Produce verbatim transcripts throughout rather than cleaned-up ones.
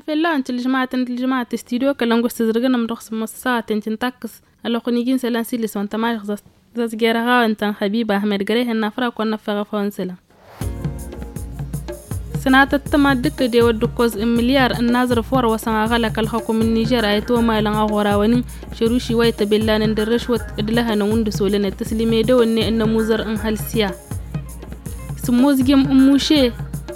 Fel-lawen tǝlǝžmatăn tǝlǝžmatăn studio kălănguš tǝzrǝgăn ămdăɣ s-măssăɣatăn tǝntakkǝs. Ălwăqq n-iji n-isălan s-ilǝs wa n-tămažăɣt zazger aɣawen tăn-xăbiba ahmed gărehen n-afra kăwăn năffeɣ ăfawăn isălan. Sănatăt tămad d-kădewăt d-ǝkkoẓ n-milyar n-aẓrǝf wăr-wăsăn aɣălăk ălxăkum n-nižer a itwămalăn aɣorawăn-in šăruši wa ităbellanăn d-ărrăšwăt d-lăhănăn wǝndǝs olănet tǝslim edăwănne n-ămuzăr n-hălsya. Sǝmmozgim n-muše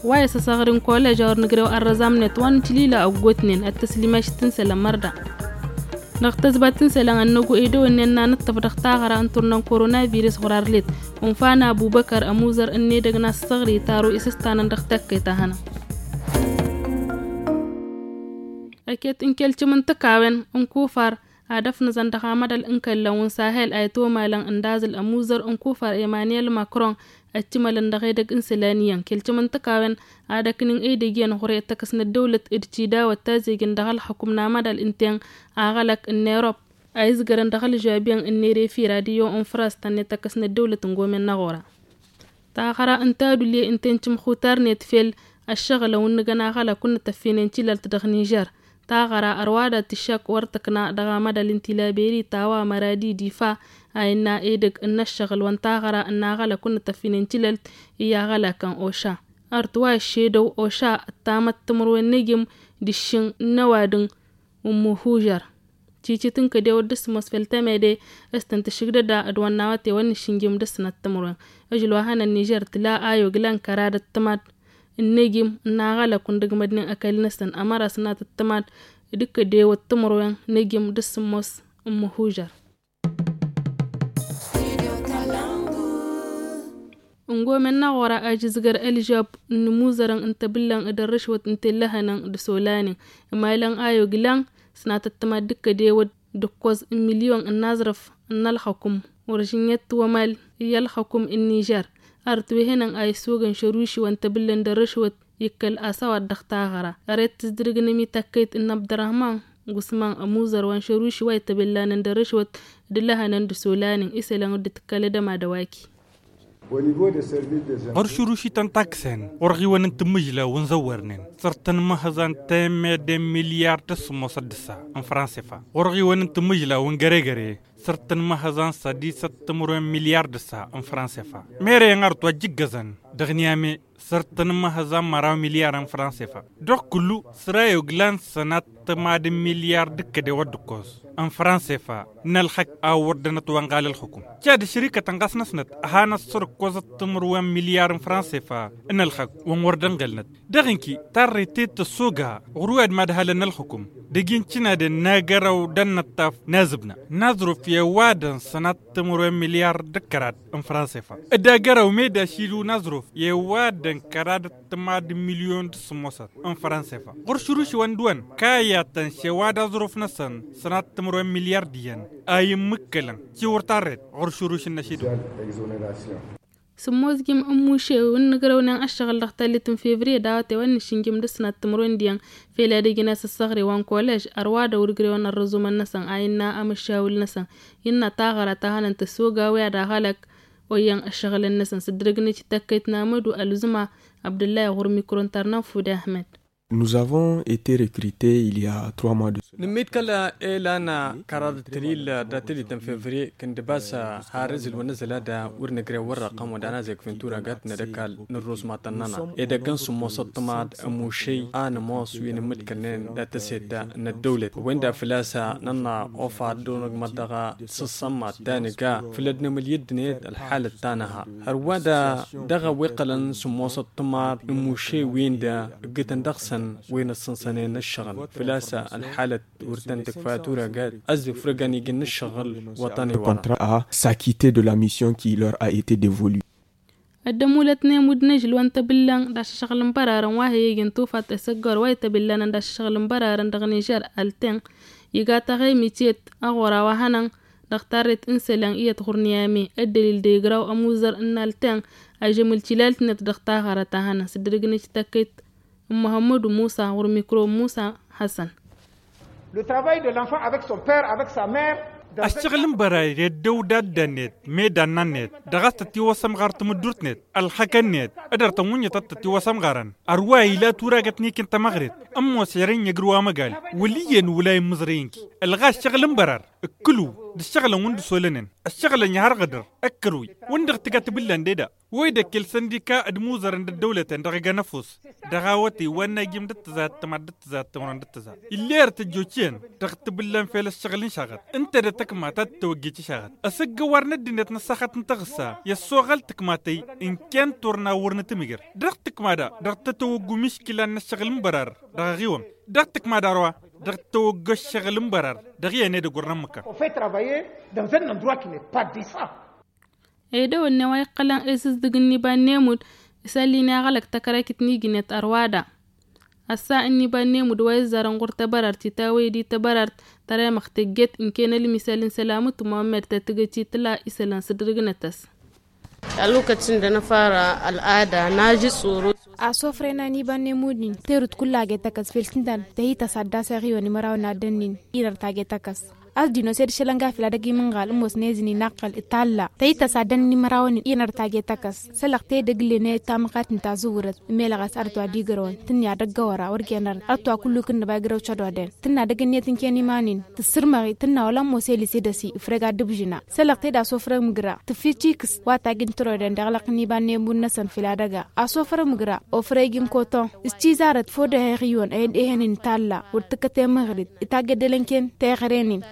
wa isăsăɣri n-kolež a wăr nǝgrew ărrăẓamnet wa n-tilila ăggootnen ăttăslimaš tǝnsălăn mărda. Dăɣ-tăzbat n-isălan ănnăgu edăwănnen n-anǝṭṭăf dăɣ-taɣăra n-turna n-koronavirus ɣur-arlet. Unfa n-abubăkăr ămuzăr n-edăgg n-assăɣri taro isǝstanăn dăɣ-takkăyt a hănăn. Ăket n-kelcǝm n-tǝkawen n-kufar ad-ăfnăẓăn dăɣ-amădal n-kăllăn wa n-sahel a itwămalăn ǝndaẓǝl ămuzăr n-kufar emăniyel makron. Ăccǝmălăn dăɣ-edăgg n-isălan iyyăn kelcǝm n-tǝkawen ad-ăknin edăgg iyyăn ɣur-e ăttăkăs n-ăddăwlăt d-tidawăt tazegǝn dăɣ-ălxăkum n-amădal ǝnta-en aɣălăk n-erop a izgărăn dăɣ-ălžabiyăn n-ere fir ad-iyyăn n-fras tănne tăkkăs n-ăddăwlăt n-gomen n-aɣora. Taɣăra n-tadule ǝnta-en cǝmxutarnet fel ăššăɣǝlăn wa n-nǝgăn aɣălăk wa n-nǝtăffinen tilalt dăɣ-nižer. Taɣăra ărwa da tǝššak wăr tǝkna dăɣ-amădal n-tilaberi tawa măradi difa a innă edăgg n-ăššăɣǝl wa n-taɣăra n-aɣălăk wa n-nǝtăffinen tilalt i-aɣălakăn oša. Ărtwa ăššedăw oša ăttamăt timǝrwen n-egim d-ǝššǝn n-ăwadǝm n-muhužăr. Cicit n-kădewăt d-ǝssǝmos fel temede s-tăn-tǝšǝgdăda d-wănna wăte wăr nǝššǝnjǝm d-ǝssǝnăt timǝrwen. Ǝžǝl wa hănăn nižer tǝla a yoglan kăra d-ăttămad n-egim n-aɣălăk wa n-dăgg-mădnen ăkall-năsăn ămăra s-nat ăttămad d-kădewăt timǝrwen n-egim d-ǝssǝmos n-muhužăr. Ǝngomen n-aɣora ajǝzgăr ălžab n-imuzărăn n-tebǝllăn d-ărrǝšwăt n-tellăhănăn d-isolanen. Imalăn a yoglan s-natăttămad d-kădewăt d-ǝkkoẓ n-milyon n-aẓrǝf n-ălxăkum wăr žǝnnet wămal i-ălxăkum n-nižer. Ărăt wehănăn a isogăn šăruši wa n-tebǝllăn d-ărrǝšwăt ikkăl asăwad dăɣ-taɣăra. Ărăt tǝzdǝrǝgnem i-takkăyt n-abdărrăhman gusman ămuzăr wa n-šăruši wa ităbellanăn d-ărrǝšwăt d-ǝllăhănăn d-isolanen isălan dd-tǝkkălădăm ad-ăwaki. Ɣur-šuruši tăn-takkǝsen ɣur-ɣiwăn n-tǝmmǝžla wa n-zăwwărnen săr-tăn măhăẓan temmedden milyar d-ăssǝmmosăt d-ǝssa n-fransefa. Ɣur-ɣiwăn n-tǝmmǝžla wa n-găregăre săr-tăn măhăẓan sădisăt timǝrwen milyar d-ǝssa n-fransefa. Mere-en arăt wa ǝjjǝggăzăn dăɣ-niyame săr-tăn măhăẓan măraw milyar n-fransefa. Dăɣ-kullu săr-a yoglan sănat tămad n-milyar d-ǝkkăde wăr dd-ǝkkoẓ n-fransefa n-ălxăk a wăr dănăt wa n-ɣal ălxukum. Cad šărikătăn ɣas năsnăt a hanăt săr-ǝkkoẓăt timǝrwen milyar n-fransefa n-ălxăk wa n-wăr dănɣălnăt. Dăɣ-inki tarret-e tăssoga ɣur-wi ad-madhalăn n-ălxukum dăgg-i n-cǝnaden n-agăraw d-ănnăṭṭaf n-azǝbna n-aẓruf i-ăwadăn sănat timǝrwen milyar d-ǝkkărad n-fransefa. D-agăraw meda ašilu n-aẓruf i-ăwadăn kăra d-ăttămad n-milyon d-sǝmmosăt n-fransefa. Ɣur-šuruši wa n-dăwăn kayatăn šewa d-aẓruf-năsăn sănat timǝrwen milyar d-iyyăn a immǝkkălăn ciwăr tarret ɣur-šuruši n-ašidu. Sǝmmozgim n-muše wa n-nǝgrăwnen ăššăɣǝl dăɣ-tallit n-fevriye d-awăte wa n-nǝššǝnjǝm d-ǝsnat timǝrwen d-iyyăn fel ad-ǝjǝn asǝssăɣre wa n-kolež ărwa dăw-dd-ǝgrewăn ărrǝẓumăn-năsăn a innă amǝššawǝl-năsăn. Innă taɣăra ta hănăn tăssoga wi ad-aɣălăk oyyăn ăššăɣǝlăn-năsăn s-dd-răgnăt i-takkăyt n-amădu ălzǝma abdǝllay ɣur-mikro n-tarna n-fude ahmed. Nous avons été recrutés il y a trois mois de cela. Nǝmmidkăl elan kăraḍ d-tǝlil dat-tǝlit n-fevriye kǝndǝbas har ǝzǝl wa n-ǝzǝl ad-wăr nǝgrew wăr-ăqqăm wădden azeg fǝntura gat n-edăkal n-ărrus matăn-nănăɣ edăgg n-sǝmmos ăṭṭămad ămušăy a nǝmoos wi nǝmmǝdkălnen dat-tăsedda n-ăddăwlăt wenda făl-a-s nănna ofa ad-dd-onăgmăt dăɣ-sǝssămmat ta nǝga făll-ad-nǝmǝl i-ăddinăyăt ălxalăt ta nǝha. Hărwa-da dăɣ-ăwweqqălăn sǝmmos ăṭṭămad n-imuše-win-da ǝggǝtăn dăɣ-săn wi n-ǝssǝnsănen ǝššăɣǝl făl-a-s ălxalăt wăr tăn-tǝkfa tura gat ăzzǝfrǝgăn iji n-ǝššăɣǝl wăṭăn iwărăn. Contrat à s'acquitter de la mission qui leur a été dévolue. Ăddămulăt n-emud n-ažǝl wa n-tăbǝllăn d-ašăšăɣǝl n-bărarăn wa he-ijăn tufaḍt isăggor wa ităbǝllănăn d-ašăšăɣǝl n-bărarăn dăɣ-nižer alten iga taɣemit iyyăt aɣora wa hănăn dăɣ-tarret n-isălan iyyăt ɣur-niyame. Ăddălil d-egraw ămuzăr n-alten ažămǝl tilalt-net dăɣ-taɣărăt a hănăn s-dd-răgnăj takkăyt n-muhămmădu musa ɣur-mikro n-musa hasăn. Le travail de l'enfant avec son père avec sa mère. Ăššăɣǝl n-bărari d-ăddăwda dd-ănnet meda n-annet dăɣ-a-s tătiwăsăm ɣar tamǝddurt-net ălxăkăn-net. Ădăr tănwǝnyăt ad-tătiwăsăm ɣarăn ărwa ila turagăt n-ikin tamăɣret. Ămoos ere n-egr wa măgal wăl' iyyăn wăla immǝẓrăy n-ki ălɣa ăššăɣǝl n-bărar. Ǝkkǝlu d-ǝššăɣǝlăn wǝnda s-olănen ăššăɣǝlăn i-harɣădăr ǝkkărwi wǝnda ɣ-tǝga tibǝllan deda. Wa idăkkel săndika d-imuzărăn d-ăddăwlăten dăɣ-egăn ăfuss dăɣ-awătăy wa n-ajim d-ǝttǝza ăttămad d-ǝttǝza ăttămrăn d-ǝttǝza. Ill'-e ărtăjjočiyăn dăɣ-tibǝllan fel ăššăɣǝl n-išaɣăt ǝnta d-tăkmat ad-tăwăjjăj išaɣăt. Ăsăggăwar n-ăddinăt n-ăṣṣaxăt n-taɣǝssa i-ăssoɣăl tǝkmatăy n-kăy n-turna wăr nǝtǝmǝjăr dăɣ-tǝkma da dăɣ-tătăwăggu miškǝla n-ăššăɣǝl n-bărar dăɣ-aɣiwăm dăɣ-tǝkma da ărwa dăɣ-tăwăggu ăššăɣǝl n-bărar dăɣ-iyyăn edăgg wăr nămmăkăn. Edăwănne wa iqqălăn esǝzdǝg n-iba n-emud isăllin i-aɣălăk tăkrăkit n-ijnet ărwa da. Ăssa n-iba n-emud wa izzarăn ɣur-tăbărart itawăy d-i tăbărart tăremăɣ tejjet n-ken ălmisăl n-sălamut muhammed tătgăci tǝla isălan s-dd-rǝgnăt-as. Alwăkăt s-ǝndănăfara ăl'ada n-ajǝ tsoro. Asofrăyăn a n-iba n-emud-in terut kull aget akăs fel s-ǝntan tăhităs ad-dd-aseɣ iwăn imărawăn ad-dd-ănnin inăr taget akăs. A-s dinosed šălănga fila dăgg-imǝnɣal ǝmmos n-ezǝn inaqqăl italla tăytăs ad-ănni mărawăn inăr taget akăs. Sălăɣ tedăgg ǝllen i-tamăqat n-tazǝwwǝrăt. Melăɣ a-s ărăt wa d-igrăwăn tǝnni ad-ăggăwăra wăr gen ărăt ătwa kullu kǝnnăba igrăw cădoden tǝnna dăgg-ǝnniyăt n-ken iman-in. Tǝssǝrmăɣ-i tǝnna wăla ămmos elis edăsi ifreg ad-dd-ǝbžǝna. Sălăɣ tedăs ofrăg mǝgra tǝffici ikǝs wa tajǝn tăroden d-iɣlăq n-iba n-emud-năsăn fila dăgg-a. Asofrăg mǝgra ofrăg n-koton s-cizarăt fodăheɣ iwăn a ed ehăn n-talla wăr tǝkkăt emăɣrit. Itaggăddălăn ken teɣăren-in.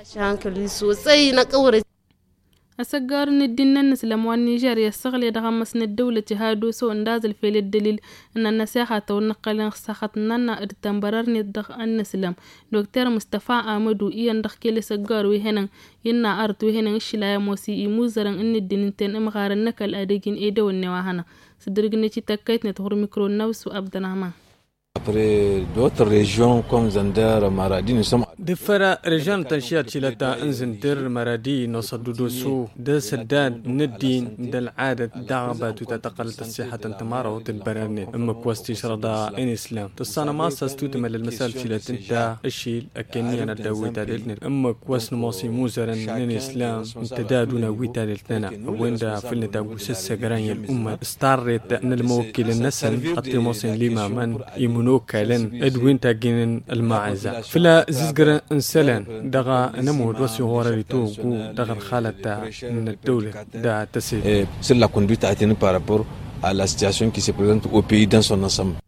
Asăggarun ǝddin n-ănnăslăm wa n-nižerya ăssăɣle dăɣ-amăs n-ăddăwlăt iha d-oso ǝndazǝl fel ăddălil n-ănnăseɣatăw n-iqqălăn ăṣṣaxăt n-anna d-tănbărărnet dăɣ-ănnăslăm. Dokter mustăfa amădu iyyăn dăɣ-kele asăggar wi hănăn innă arăt wi hănăn ǝššǝlay ămoos i-imuzărăn n-ǝddin ǝnta-en ǝmɣarăn n-ăkall ad-ăj n-edăwănne wa hănăn. S-dd-rǝgnăt i-takkăytnet ɣur-mikro n-nawsu abdărahman. D-fără režyon tăn-šiyat šilăt n-zǝndir măradi n-osăddudosu d-asăddad n-ăddin d-ăl'adăt dăɣ-batu ta tăqqălăt ăṣṣixăt n-tămarawt d-bărărnet ǝmmǝk wa s-tišrăḍa n-islam tǝssanăm a-s a-s tutǝmăl ălmăsal šilăt ǝnta ǝššil ăkkănniyăn ăddăwwit ad-ălnet ǝmmǝk wa s-nǝmoos imuzărăn n-islam n-tădadun awwi tadelt-nănăɣ ăwwen-dd făll-nǝtaggu s-ăssăgran i-ăl'ummăt s-tarret n-ălmăwăkkilăn-năsăn ad-t-ămoosăn limamăn imǝnokalăn d-win tajjǝnen ălmaɛza făll-azǝzgăr n-isălan dăɣ-anămud wa s-iɣorăr itawăggu dăɣ-ălxalăt n-ăddăwlăt. D-tăsedăt. S-ǝllakun bităɣ-tăn par rapport à la situation qui se prezente au pays dans son ensemble.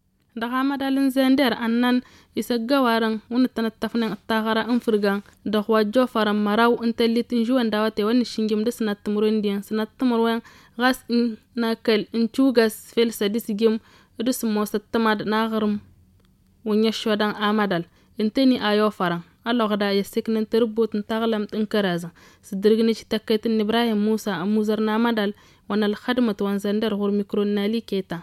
Dăɣ-amădal n-zender ănnan isăggăwarăn wǝnnǝttăn ǝṭṭăfnen ăṭṭaɣăra n-fǝrgan dăɣ-wa ăjjoofărăn măraw n-tăllit n-žuwăn d-awătay wa n-išǝnjǝm d-sănat timǝrwen diyyăn sănat timǝrwen ɣas n-akăl n-čugas fel sădis jǝm d-sǝmmos ăttămad n-aɣrǝm. Wǝnni ăššodăn amădal ǝntăni a i-ofărăn ălluɣda i-ăssǝknăn tărǝbbut n-taɣlămt n-kărazăn s-dd-ǝrǝgnǝj tăkkăyt n-ibrahim musa ămmuzăr n-amădal wa n-ălxădmăt wa n-zăndăr ɣur-mikro n-ali keta.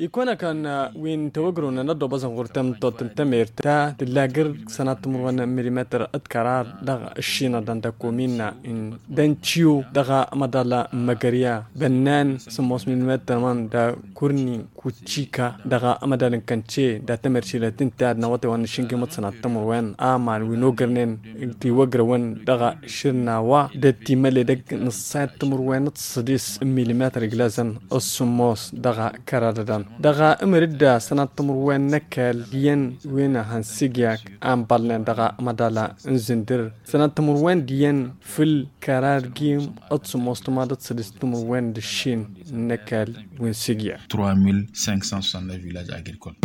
Ikăwăn-akăn wi n-tewăgrăwnen ăddoobăẓăn ɣur-tamtot n-temert ta tǝllagăr sănat timǝrwen n-milimetăr d-kărar dăɣ-ăššinăḍăn d-ăkkominna n-dănciyo dăɣ-amăḍal n-măgărya bănnan sǝmmos milimetăr măn d-akurni kucika dăɣ-amăḍal n-kănce d-atemert šilăt ǝnta ad-năwătewăn n-ašǝngǝmăt sănat timǝrwen aman wi n-ogrnen tiwăgrăwăn dăɣ-ašǝrna wa d-ăttimăle dăgg-nǝṣṣayăt timǝrwen d-săḍis n-milimetăr iglăzăn ăssumos dăɣ-kăradădăn dăɣ-amăr-dd sănat timǝrwen n-ăkall iyyăn wi n-hăn s-igyak anbălnen dăɣ-amăḍal n-zǝndǝr sănat timǝrwen d-iyyăn fǝll-kărar gim d-sumos timaḍăt sădis timǝrwen d-ǝššin n-ăkall wi n-sigya. Trois mille cinq cent soixante-neuf villages agricoles.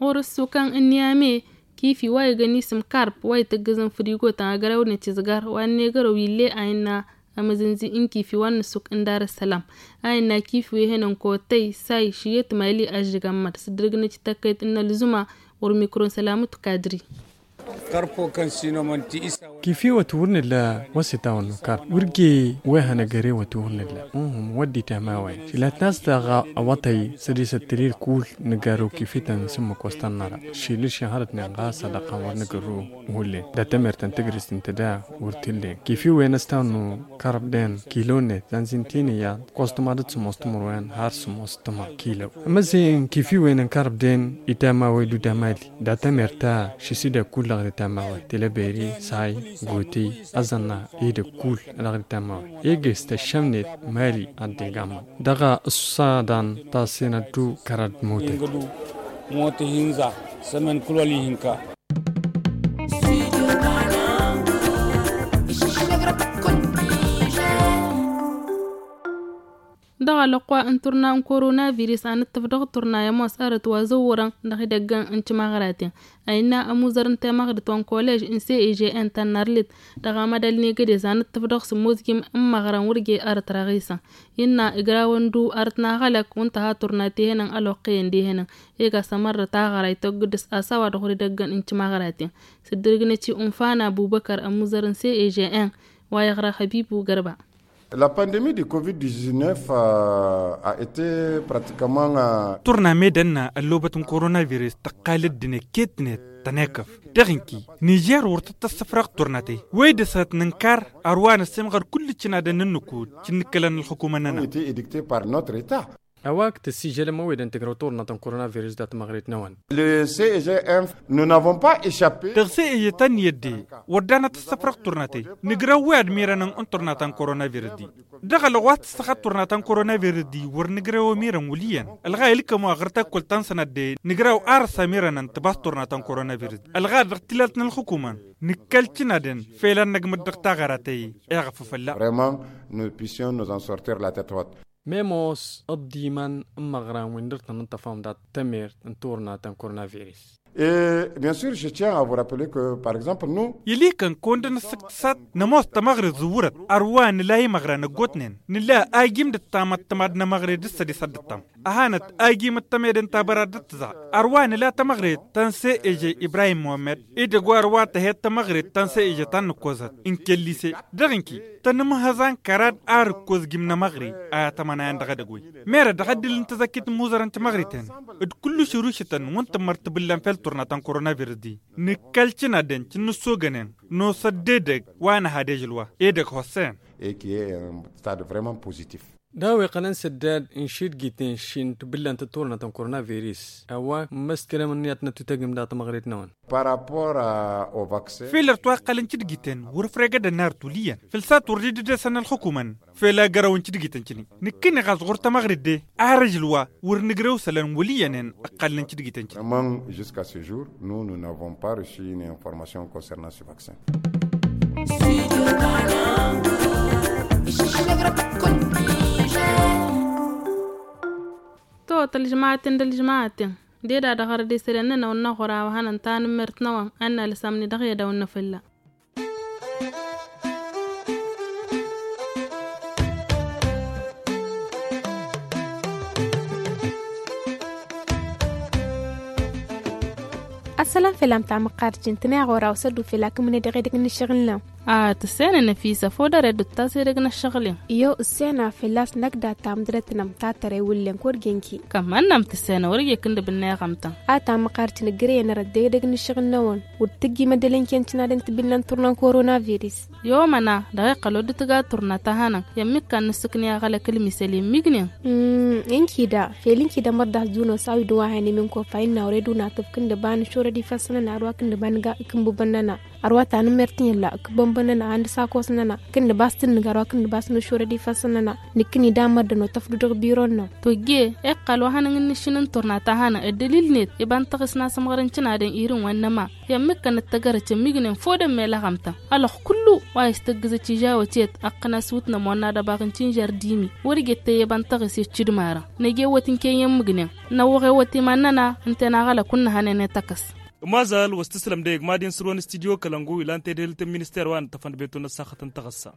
Ɣur-ǝssukăn n-niyame kifi wa igăn isǝm karp wa itǝggǝzăn fǝrigotăn agrawǝdnăt izgar wa n-egărăw ille a innă amǝzǝnzi n-kifi wa n-ǝssuk n-dar-ăssălam a innă kifi wi hănăn kotăy say šǝyyăt mali ažžǝgăn mad s-dd-rǝgnăt i-tăkkăyt n-ălzuma. Ɣur-mikro n-sălamut kadri. Kăr-fokăn sinămăn ti isa. Kifi wăt wăr nǝlla wăsitawăn nukar wăr ge. Wăy hanăgăre wăt wăr nǝlla. Uhum wăddi tamawen. Šilăt n-as daɣ awătăy sădisăt tălil kull nǝgăru kifi tăn-sǝmmǝk wăstăn năra. Šilǝš ihărăt n-inɣas ad-ăqqan wăr nǝgărru. Hullen datămer tăn-tǝgrǝst n-tǝda wăr tǝllen kifi wen ăstawăn n-karbden. Kilo-net tăn-zintiniya kostăma d-sămoos timǝrwen har sămoos tăma kilo. Măzen kifi wen n-karbden itamawey d-udamali. Datămer ta šisida kull ălɣăr itamawey tǝlăberi say goti. Ăzzănna ida kull ălɣăr itamawey. Egăs tăššămnet mali ad-degamăn dăɣ-ăṣṣadan. Tasenăt d-kărăd motăy. Motăy hinza sămen kull wăl-ihǝnka. Dăɣ-alăqwa n-turna n-koronavirus a nǝttǝf dăɣ-turna i-ămoos arăt wa zăwwărăn dăɣ-idăggăn n-timăɣraten. A innă ămuzăr n-temăɣrǝt wa n-kolej n-cegn tănnărlit dăɣ-amădal n-egădez a nǝttǝf dăɣ-sǝmmuzjim n-imăɣrăn wăr je arăt răɣisăn. Innă ǝgrawăn du arăt n-aɣălăk wa n-tăha turna tihănăn ăloqqăyăn dihănăn. Ega s-ămărrăt aɣăray tăggǝdǝs a-s a-wa dăɣ-wăr idăggăn n-timăɣraten. Sǝddǝrǝgnăt i-unfan abubăkăr ămuzăr n-cegn wa iɣra hăbibu gărba. La pandemie du covid dix-neuf a été pratiquement. Turna medănna ăllobăt n-koronavirus tăqqal ăddinăt ket-net tănekăf dăɣ-inki. Nižer wăr tăt-tăssăfrăɣ turnătăy wăy dăɣ-s ad-t-nǝnkar. Ărwa năssemɣăr kull ǝccǝnadăn n-ǝnnukud cǝnnǝkkălăn ălxukumăn-nănăɣ. Été édicté par notre état. A-wa ǝktǝs ižălăm ăwedăn tǝgrăw turna ta n-koronavirus dat-măɣret-năwăn. Le cegn nous n'avons pas échappé. Dăɣ-cegn ta n-iyyăt de wăr danăt ăssăfrăɣ turnătăy. Nǝgrăw wi ad-mirănăn n-turna ta n-koronavirus-di. Dăɣ-ălɣas tǝssăxăt turna ta n-koronavirus-di wăr nǝgrăw ămirăn wăl' iyyăn. Ălɣa ilkăm wa ɣur-takkălt ta n-sănat de nǝgrăw ar ăssamirănăn tǝbas turna ta n-koronavirus-di ălɣa dăɣ-tilalt n-ălxukumăn. Nǝkkăl cǝnadăn fel ad-năgmăd dăɣ-taɣăra ta i-eɣăf fălla. Vraiment nous puissions nous en sortir la tête haute. Memos ăḍḍimăn n-imăɣran wi n-dăr-tăn n-tăfam dat-tămert n-turna ta n-koronavirus. Et bien sûr je tiens à vous rappeler que par exemple nous. Ilikăn kăwăn-dăr-năssǝktǝsăt nămoos tamăɣrit zǝwwărăt ărwa nǝla imăɣran ăggootnen nǝla ajim d-ăttam ăttămad n-emăɣre d-ǝssădis ad-dd-ăttam. Ăhanăt ajim d-tămede n-tabăra d-ǝttǝza ărwa nǝla tamăɣret ta n-se'eže ibrahim muhămmăd. Idăgg wa ărwa tăhed tamăɣret ta n-se'eže ta n-nǝkkozăt n-kellise dăɣ-inki tănǝmhăẓan kărad ar ǝkkoz jim n-emăɣre. A tămănayăn dăɣ-edăgg-wen merăt dăɣ-ăddǝl n-tazăkkit n-imuzărăn timăɣriten d-kull ašărušătăn wa n-tǝmmăr tibǝllan fel turna ta n-koronavirus-di. Nǝkkăl cǝnadăn cǝnnǝssogănen nosăt d-edăgg wa n-ehad ežăl wa edăgg hossen. Et qui est un stade vraiment positif. D-a-wa iqqălăn s-ăddad n-išidgiten šin tibǝllan tǝturna ta n-koronavirus a-wa n-măskălăm ǝnniyăt n-ăttutăgǝm dat-măɣret-năwăn. Par rapport au vaccin. Fel ărăt wa iqqălăn cǝdgiten wăr-ăfregădăn n-arăt wăl' iyyăn făl s-a-t wăr dd-ăddesăn ălxukumăn. Fel a gărăwăn cǝdgiten cǝni nǝkkǝneɣ a-s ɣur-tamăɣret de ar ǝžǝl wa wăr nǝgrăw isălan wăl' iyyănen. Ǝqqălnen cǝdgiten cǝni. Jusqu'à ce jour nous nous n'avons pas reçu une information concernant ce vaccin. To tălžmaten dălžmaten deda dăɣ-arăd isălen-nănăɣ n-aɣura wa hănăn tanǝmmert-năwăn ad-nalsăm-ni dăɣ-edăw n-afălla. Ăssălam făll-am tamăqqart jin tǝnayăɣ oraw s-ăddu făll-akǝmǝne dăɣ-edăgg n-ašăɣǝl-năw. A tǝssenăn ăfisa fodăre dd-tas edăgg n-ašăɣǝl-in. Iyo ǝssenăn făll-a-s năkk dat-tamǝdrăt n-am tatăre wǝllen kăwăr genki. Kămănnăm tǝssenăn wăr-ijek ǝndǝb n-eɣămtăn. A tamăqqart jin ǝggărăyăn ărăt dăɣ-edăgg n-ašăɣǝl-năwăn. Wăr t-ǝjji măddălăn cǝnadăn tibǝllan turna n-koronavirus. Yomăna dăɣ-iqqăl wăr dd-tǝga turna ta hanăn i-ămmikkan n-ǝssǝkni aɣălăk ǝlmisăl i-ǝmmignen. Ǝnkida fel ǝnkida mărdăh zuno s-a-wi d-wa hănem ǝnkofa innă wăr-e-dun atǝb kǝndǝba nǝšorăd ifăssăn-nănăɣ ărwa kǝndǝba nǝga ikǝmbǝbăn-nănăɣ. Ărwa ta nǝmmert n-illa ǝkǝbbănbăn-nănăɣ a n-dăr-s akos-nănăɣ kǝndǝba a-s tǝnnǝg ărwa kǝndǝba a-s nǝšorăd ifăssăn-nănăɣ. Nǝkkǝni d-amărdăn otăfdu dăɣ-biron-năw. Tojje iqqăl wa hanăn-in nǝššǝnǝn turna ta hanăn ăddălil-net iba n-taɣǝs n-asǝmɣărăn cǝnadăn irin wa n-năma. I-ămmikkan d-tăgărăt i-ămmignen fodăn mel aɣămtăn. Alăɣ kullu wa istăggǝzăt ižawăt-et ăqqǝn-as wǝtnăm wa n-ad-ăbaɣ n-tinžar d-imi wăr-ije t-ăyyăbăn taɣǝs i-ăccidmarăn. Năj'-e-wăt n-kăyy i-ămmignen năwwăɣ-e-wăt iman-nănăɣ ǝnta-en aɣălăk wǝnnăhănen i-tăkăs. Ămazal wa s-tǝslăm dăɣ-egg mad-in sǝrwăn studyo kălăngu ilan tedhǝlt n-minister wa n-ǝttăfăn d-betun ăssaxăt n-taɣǝssa.